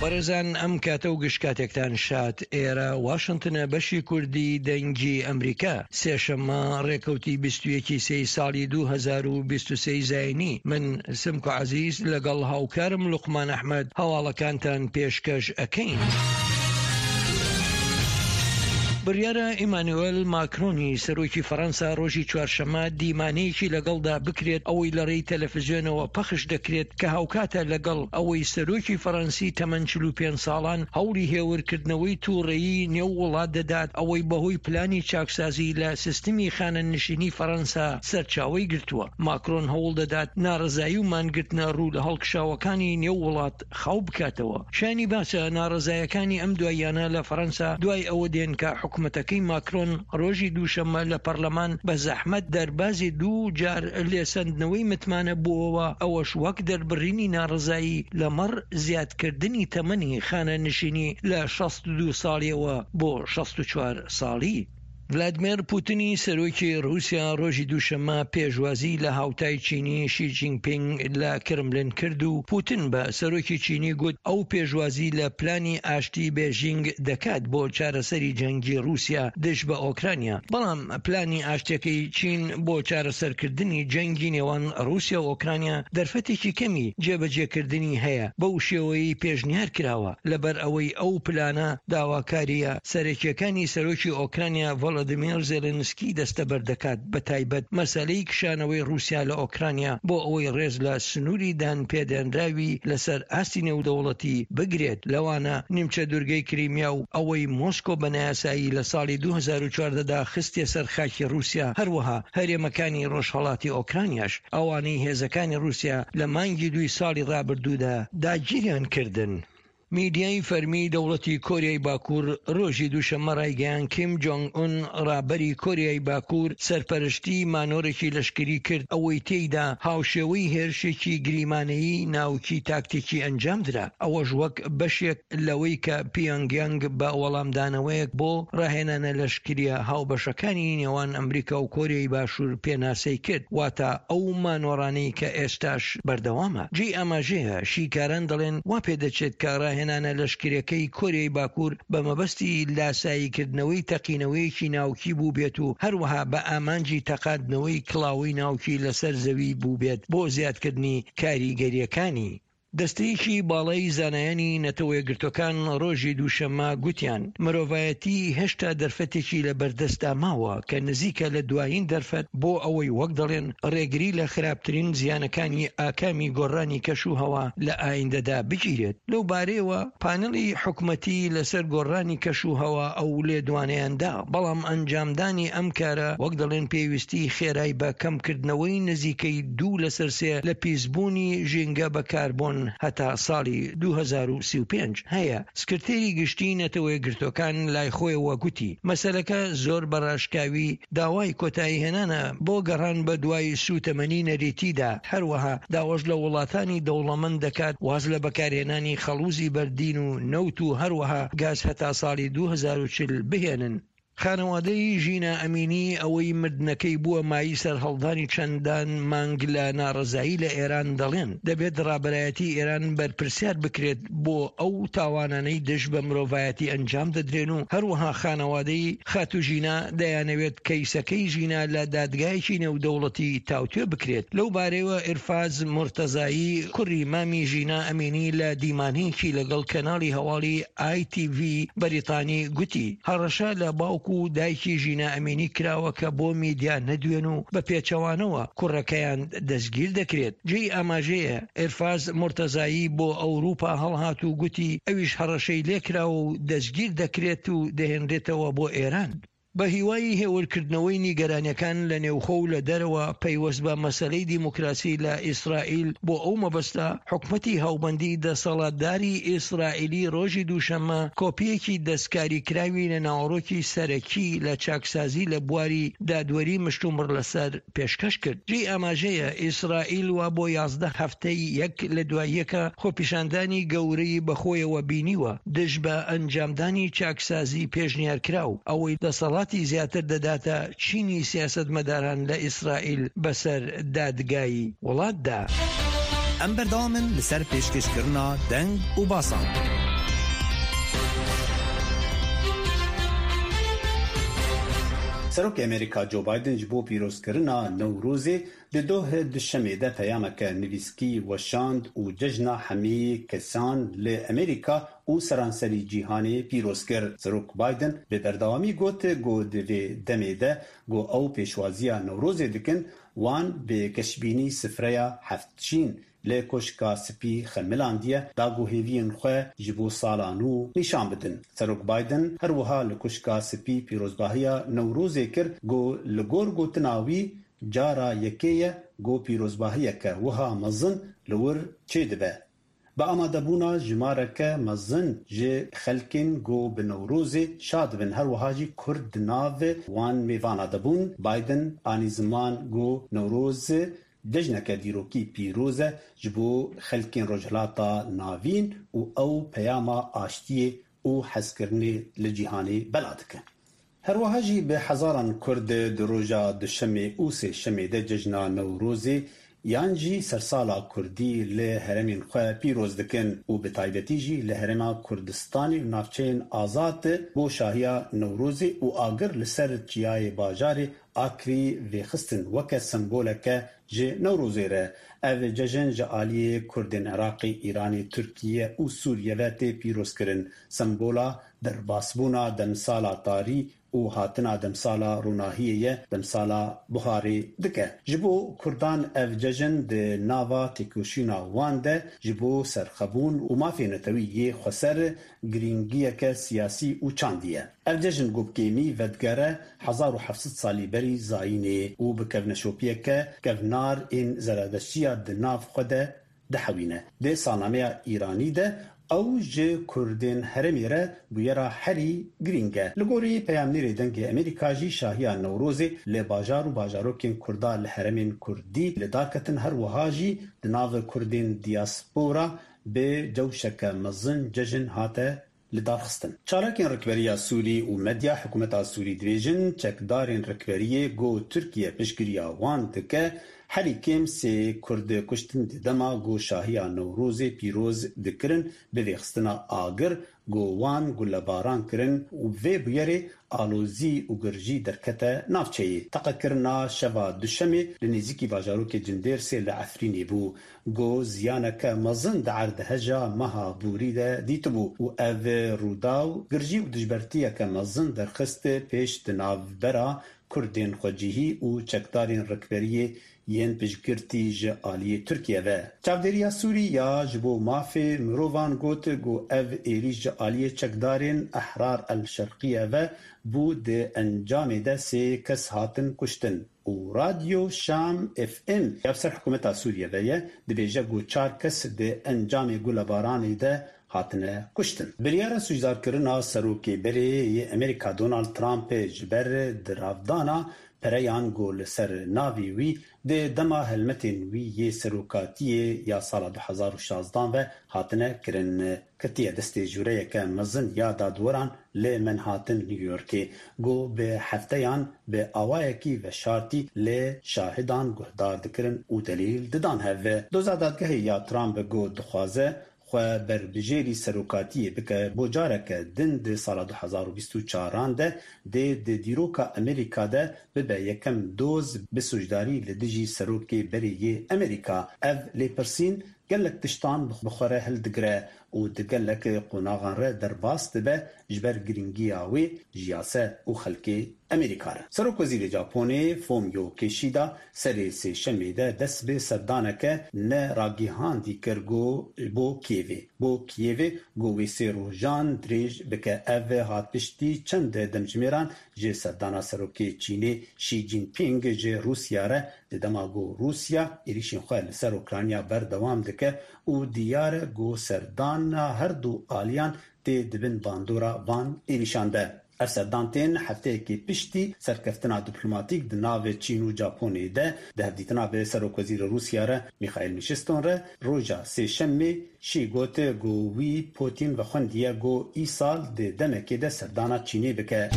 بەڕێزان ئەم کاتە و گشت کاتێکتان شاد ئێرە واشنتنە بەشی کوردی دەنگی ئەمریکا سێشەممە ڕێکەوتی 21 سێی ساڵی 2023 زینی من سمکۆ عەزیز لەگەڵ هاوکارم لوقمان ئەحمەد هەواڵەکانتان پێشکەش ئەکەین. بڕیارە ئیمانوێل ماکرۆنی سەرۆکی فەرەنسا ڕۆژی چوارشەممە دیمانەیەکی لەگەڵدا بکرێت ئەوەی لە ڕێی تەلەفزیۆنەوە پەخش دەکرێت کە هاوکاتە لەگەڵ ئەوەی سەرۆکی فەرەنسی تەمەن 45 ساڵان هەوڵی هێورکردنەوەی توڕەیی نێو وڵات دەدات ئەوەی بەهۆی پلانی چاکسازی لە سیستمی خانەنشینی فەرەنسا سەرچاوەی گرتووە. ماکرۆن هەوڵ دەدات ناڕەزایی و مانگرتنە ڕوو لە هەڵکشاوەکانی نێو وڵات خاو بکاتەوە. شایانی باسە ناڕەزایەکانی ئەم دواییانە لە فەرەنسا دوای ئەوە دێن کە حکومەتەکەی ماکرۆن ڕۆژی دووشەممە لە پەرلەمان بە زەحمەت دەربازی دوو جار لێسەندنەوەی متمانە بووەوە، ئەوەش وەک دەربڕینی ناڕەزایی لەمەڕ زیادکردنی تەمەنی خانەنشینی لە 62 ساڵیەوە بۆ 64 ساڵی. ڤلادمێر پوتنی سەرۆکی ڕووسیا ڕۆژی دووشەممە پێشوازی لە هاوتای چینی شی جینپینگ لە کرملن کرد و پوتن بە سەرۆکی چینی گوت ئەو پێشوازی لە پلانی ئاشتی بێژینگ دەکات بۆ چارەسەری جەنگی ڕووسیا دژ بە ئۆکرانیا، بەڵام پلانی ئاشتیەکەی چین بۆ چارەسەرکردنی جەنگی نێوان ڕووسیا و ئۆکرانیا دەرفەتێکی کەمی جێبەجێکردنی هەیە بەو شێوەیەی پێشنیار کراوە، لەبەر ئەوەی ئەو پلانە داواکارییە سەرەکییەکانی سەرۆکی ئۆکرانیا ڤۆلۆدیمێر زێلێنسکی دەستەبەر دەکات، بەتایبەت مەسەلەی کشانەوەی ڕووسیا لە ئۆکرانیا بۆ ئەوەی ڕێز لە سنووری دانپێدانراوی لەسەر ئاستی نێودەوڵەتی بگرێت، لەوانە نیمچە دوورگەی کریمیا و ئەوەی مۆسکۆ بە نایاسایی لە ساڵی 2014 دا خستیە سەر خاکی ڕووسیا، هەروەها هەرێمەکانی ڕۆژهەڵاتی ئۆکرانیاش، ئەوانەی هێزەکانی ڕووسیا لە مانگی دووی ساڵی ڕابردوودا داگیریان کردن. میدیای فەرمی دەوڵەتی کۆریای باکوور ڕۆژی دووشەممە ڕایگەیاند کیم جۆنگ ئون ڕابەری کۆریای باکوور سەرپەرشتی مانۆرێکی لەشکری کرد ئەوەی تێیدا هاوشێوەی هێرشێکی گریمانەیی ناوکی تاکتیکی ئەنجامدرا ئەوەش وەک بەشێک لەوەی کە پیۆنگ یانگ بە وەڵامدانەوەیەک بۆ ڕاهێنانە لەشکرییە هاوبەشەکانی نێوان ئەمریکا و کۆریای باشوور پێناسەی کرد واتە ئەو مانۆڕانەی کە ئێستاش بەردەوامە. جێی ئاماژەیە، شیکاران دەڵێن وا پێدەچێت کە ڕاهێنانە لەشکریەکەی کۆریای باکوور بە مەبەستی لاساییکردنەوەی تەقینەوەیەکی ناوکی بووبێت و هەروەها بە ئامانجی تەقاندنەوەی کڵاوەی ناوکی لەسەر زەوی بووبێت بۆ زیادکردنی کاریگەرییەکانی. دەستەیەکی باڵای زانایانی نەتەوەیەکگرتووەکان ڕۆژی دووشەممە گوتیان مرۆڤایەتی هێشتا دەرفەتێکی لەبەردەستدا ماوە کە نزیکە لە دوایین دەرفەت بۆ ئەوەی وەک دەڵێن ڕێگری لە خراپترین زیانەکانی ئاکامی گۆڕانی کەش و هەوا لە ئایندەدا بگیرێت. لەو بارەیەوە پانێڵی حکومەتی لەسەر گۆڕانی کەش و هەوا ئەو لێدوانەیان دا، بەڵام ئەنجامدانی ئەم کارە وەک دەڵێن پێویستی خێرای بە کەمکردنەوەی نزیکەی دوو لەسەر سێ لە پیسبوونی ژینگە بە کاربۆن هەتا ساڵی 2035 هەیە. سکرتێری گشتیی نەتەوەیەکگرتووەکان لای خۆیەوە گوتی، مەسەلەکە زۆر بە ڕاشکاوی داوای کۆتاییهێنانە بۆ گەڕان بە دوای سووتەمەنی نەریتیدا، هەروەها داواش لە وڵاتانی دەوڵەمەند دەکات واز لە بەکارهێنانی خەڵووزی بەردین و نەوت و هەروەها گاز هەتا ساڵی 2040 بهێنن. خانەوادەی ژینا ئەمینی ئەوەی مردنەکەی بووە مایەی سەرهەڵدانی چەندان مانگ لە ناڕەزایی لە ئێران دەڵێن، دەبێت ڕابەرایەتی ئێران بەرپرسیار بکرێت بۆ ئەو تاوانانەی دژ بە مرۆڤایەتی ئەنجام دەدرێن و هەروەها خانەوادەی خاتوو ژینا دەیانەوێت کەیسەکەی ژینا لە دادگایەکی نێودەوڵەتی تاوتوێ بکرێت. لەو بارەیەوە ئیرفاز مورتەزایی کوڕی مامی ژینا ئەمینی لە دیمانەیەکی لەگەڵ کەناڵی هەواڵی ئای تی ڤی بەریتانی گوتی، هەڕەشە لە باوک و دایکی ژینا ئەمینی کراوە کە بۆ میدیا نەدوێن و بە پێچەوانەوە کوڕەکەیان دەستگیر دەکرێت. جێی ئاماژەیە ئیرفاز مورتەزایی بۆ ئەوروپا هەڵهات و گوتی ئەویش هەڕەشەی لێکراوە و دەستگیر دەکرێت و دەهێنرێتەوە بۆ ئێران. بە هیوای هێورکردنەوەی نیگەرانیەکان لە نێوخۆ و لە دەرەوە پەیوەست بە مەسەلەی دیموکراسی لە ئیسرائیل، بۆ ئەو مەبەستە حکومەتی هاوبەندی دەسەڵاتداری ئیسرائیلی ڕۆژی دووشەممە کۆپییەکی دەستکاریکراوی لە ناوەڕۆکی سەرەکی لە چاکسازی لە بواری دادوەری مشتومڕ لەسەر پێشکەش کرد. جێی ئاماژەیە ئیسرائیل وا بۆ 11 هەفتەی یەک لە دوای یەکە خۆپیشاندانی گەورەی بەخۆیەوە بینیوە دژ بە ئەنجامدانی چاکسازی پێشنیارکراو، ئەوەی دەسەڵاتی زیاتر دەداتە چینی سیاسەتمەداران لە ئیسرائیل بەسەر دادگای وڵاتدا. ئەم بەردەوامن لەسەر پێشکەشکردنا دەنگ و باسان. Serokê Amerîka Joe Biden ji bo pîrozkirina Newrozê di doh Duşemê de peyameke nivîskî weşand û cejna hemî kesan li Amerîka û seranserî cîhanê pîroz kir. Serok Biden bi berdewamî got ku di vê demê de ku ew pêşwaziya Newrozê dikin, wan bi geşbînî sifreya heftşîn li Koşka Spî xemilandiye da ku hêviyên xwe ji bo sala nû nîşan bidin. Serok Biden her wiha li Koşka Spî pîrozbahiya Newrozê kir ku li gor gotina wî cara yekê ye ku pîrozbahiyeke wiha mezin li wir çêdibe. Bi amadebûna jimareke mezin ji xelkên ku bi Newrozê şa dibin her wiha jî Kurd di nav wan mêvana de bûn, Biden anî ziman ku Newroz Cejneke dîrokî pîroz e ji bo xelkên Rojhilata Navîn û ew peyama aştiyê û hezkirinê li cîhanê bela dike. Her wiha jî bi hezaran Kurd di roja Duşemê û Sêşemê de cejna Newrozê yan jî sersala Kurdî li herêmên xwe pîroz dikin û bi taybetî jî li Herêma Kurdistanê û navçeyên azad bo şahiya Newrozê û agir li ser çiyayê bajarê Akrî vêxistin weke semboleke ji Newrozê re. Ev cejn ji aliyê Kurdên Iraqê, Îranê, Tirkiye û Sûriye ve tê pîrozkirin. Sembola derbasbûna demsala tarî û hatina demsala ronahiyê ye, demsala buharê dike. Ji bo Kurdan ev cejn di nava têkoşîna wan de ji bo serxwebûn û mafê netewî yê xweser girîngiyeke siyasî û çandî ye. Ev cejn ku bi kêmî vedigere 1700 salî berî zayînê û bi kevneşopiyeke kevnar ên zeredeştiya di nav xwe de dihewîne. Di salnameya Îranî de ew ji Kurdên herêmê re bûyera herî girîng e. Li gorî peyamnêrê Dengê Amerîka jî şahiya Newrozê li bajar û bajarokên Kurda li herêmên Kurdî li dar ketin her wiha jî di nav Kurdên diyaspora bi cewşeke mezin cejn hate lidarxistin. Çalakên rikberiya Sûrî û medya hikûmeta Sûrî dibêjin çekdarên rikberiyê ku Tirkiye piştgiriya wan dike herî kêm sê Kurd kuştin di dema ku şahiya Newrozê pîroz dikirin bi vêxistina agir ku wan gulebaran kirin û bi vê bûyerê alozî û girjî derkete navçeyê. Teqekirina şeva Duşemê li nêzîkî bajarokê Cindêrsê li Efrînê bû. Ku ziyaneke mezin di erdheja meha borî de dîtibû û ev rûdaw girjî û dijbertiyeke mezin derxist pêş di navbera Kurdên xwecihî û çekdarên rikberiyê yên piştgirtî ji aliyê Tirkiye ve. Çavdêriya Sûrî ya ji bo mafê mirovan got ku ev êrîş ji aliyê çekdarên Ehrar El Şerqiye ve bû di encamê de sê kes hatin kuştin. Û Radyo Şam FM ya bi ser hikûmeta Sûriye ve ye, dibêje ku çar kes di encamê gulebaranê de hatine kuştin. Biryara sûcdarkirina Serokê berê yê Amerîka Donald Trump ji ber diravdana pereyan ku li ser navê wî di dema helmetên wî yê serokatiyê ya sala 2016 ve hatine kirin, Ketiye destê jûreyeke mezin ya dadweran li Manhattan, New Yorkê ku bi hefteyan bi awayekî veşartî li şahidan guhdar dikirin û delîl didan hev. Doza dadgehê ya Trump ku dixwaze xwe berbijêrî serokatiyê bike bo careke din di sala 2024 an de dê di dîroka Amerîka de bibe yekem doz bi sûcdarî li dijî serokê berê yê Amerîka. Ev lêpirsîn Gelek tiştan bi xwe re hildigire û di gelek qonaxan re derbas dibe ji ber girîngiya wê ji yase û xelkê Amerîka re. Serokwezîrê Japonê Fumio Kishida serê sêşemê de dest bi serdaneke ne ragîhandî kir ku bo Kîevê bo Kîevê ku wê sê rojan dirêj bike. Ev hat piştî çend demjimêran ji serdana Serokê Çînê Xi Jinping ji Rûsya re Di dema ku Rûsya êrîşên xwe li ser Ukrayna berdewam dike û diyar e ku serdana her du aliyan tê di bin bandora van êrîşan de. Ev serdan tên hefteyekê piştî serkeftina diplomatîk di nav Çîn û Japonê de di hevdîtina bi Serokwezîrê Rûsya re Mîxaîl Mîşiston re roja Sêşemê Xi got ku wî Putîn vexwendiye ku îsal di demekê de serdana Çînê bike.